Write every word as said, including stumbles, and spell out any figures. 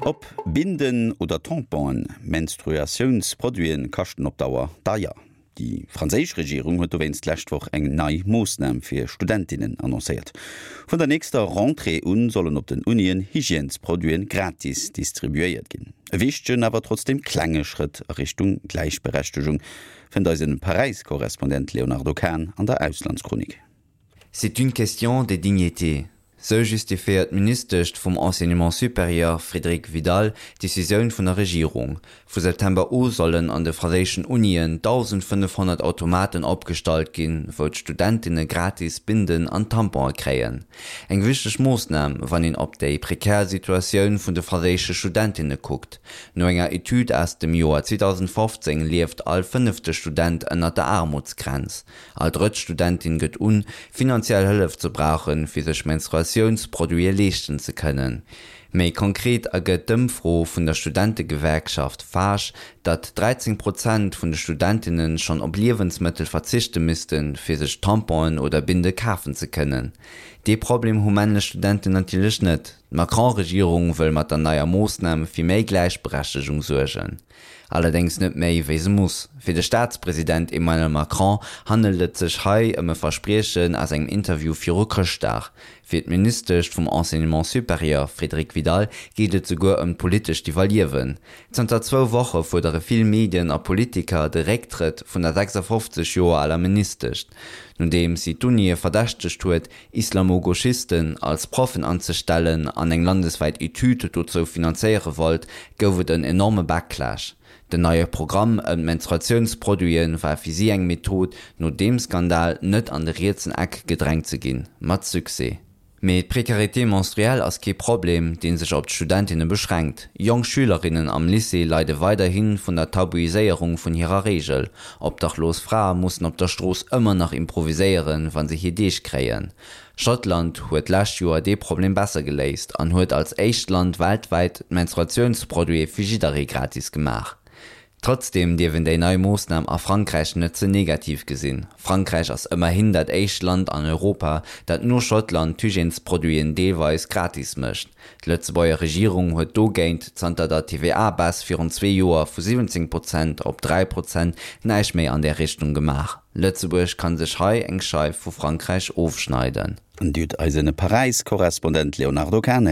Ob Binden oder Tamponen, Menstruatiounsproduiten kaschten op Dauer deier. Déi franséisch Regierung huet dowéinst d'lescht Woch eng nei Moossnam fir Studentinnen annoncéiert. Vun der nächster Rentrée un sollen op den Unien Hygiènesproduiten gratis distribuéiert ginn. E wichtegen, awer trotzdem klenge Schrëtt a Richtung Gläichberechtegung, fënnt eise Paräis-Korrespondent Léonardo Kahn an der Auslandschronik. C'est une question de dignité. Sou justifiéiert d'Ministesch vum Enseignement supérieur Frédérique Vidal d'Decisioun vun der Regierung. Vu September u sollen an de franséischen Unien dausendfënnefhonnert Automaten opgestallt ginn, wou d'Studentinne gratis Binden an Tampone kréien. Eng wichteg Moossnam, wann een op déi prekär Situatioun vun de franséische Studentinne kuckt. No enger Etüd aus dem Joer zweedausendfofzéng lieft all fënnefte Student ënner der Aarmutsgrenz. All drëtt Studentin gëtt un, finanziell Hëllef ze brauchen, fir sech Menstruatiounsproduite leeschten ze kënnen. Méi konkret ergëtt d'Ëmfro vun der Studentegewerkschaft FAGE, datt dräizéng Prozent vun de Studentinne schonn op Liewensmëttel verzichte missten, fir sech Tamponen oder Binde kafen ze kënnen. Dee Problem hu männlech Studenten natierlech net. D'Macron-Regierung wëll mat der neier Moossnam fir méi Gläichberechtegung suergen. Allerdéngs net méi wéi se muss. Fir de Staatspresident Emmanuel Macron handelt et sech hei ëm e Verspriechen aus engem Interview viru Chrëschtdag. Fir d'Ministesch vum Enseignement supérieur Frédérique Vidal geet et souguer ëm d'politescht Iwwerliewen. Zanter zwou Woche fuerdere vill Medien a Politiker de Récktrëtt vun der sechsafofzeg Joer aler Ministesch, nodeems si d'Unie verdächtegt huet, Islamo-Gauchisten als Proffen anzestellen an eng landeswäit Etüd dozou finanzéiere wollt, gouf et en enorme Backlash. Den neie Programm ëm d'Menstruatiounsproduite war fir si eng Method, no deem Skandal net an de rietsen Eck gedrängt ze ginn. Mat Succès. Mee d'Precarité menstruelle ass kee Problem, dee sech op d'Studentinne beschränkt. Jonk Schülerinnen am Lycée leide weiderhi vun der Tabuiséierung vun hirer Reegel. Obdachlos Frae mussen op der Strooss ëmmer nach improviséieren, wa se hir Deeg kréien. Schottland huet d'lescht Joer dee Problem besser geléist an huet als éischt Land weltwäit d'Menstruatiounsproduite fir jidderee gratis gemaach. Trotzdeem dierf een déi nei Moossnam a Frankräich net ze negativ gesinn. Frankräich ass ëmmerhin dat éischt Land an Europa, dat no Schottland d'Hygiènesproduiten deelweis gratis mécht. D'Lëtzebuerger Regierung huet dogéint zanter der T V A-Baisse virun zwee Joer vu siwwenzéng Prozent op dräi Prozent näischt méi an där Richtung gemaach. Lëtzebuerg ka sech hei eng Scheif vu Frankräich ofschneiden. An dat eise Paräis-Korrespondent Léonardo Kahn.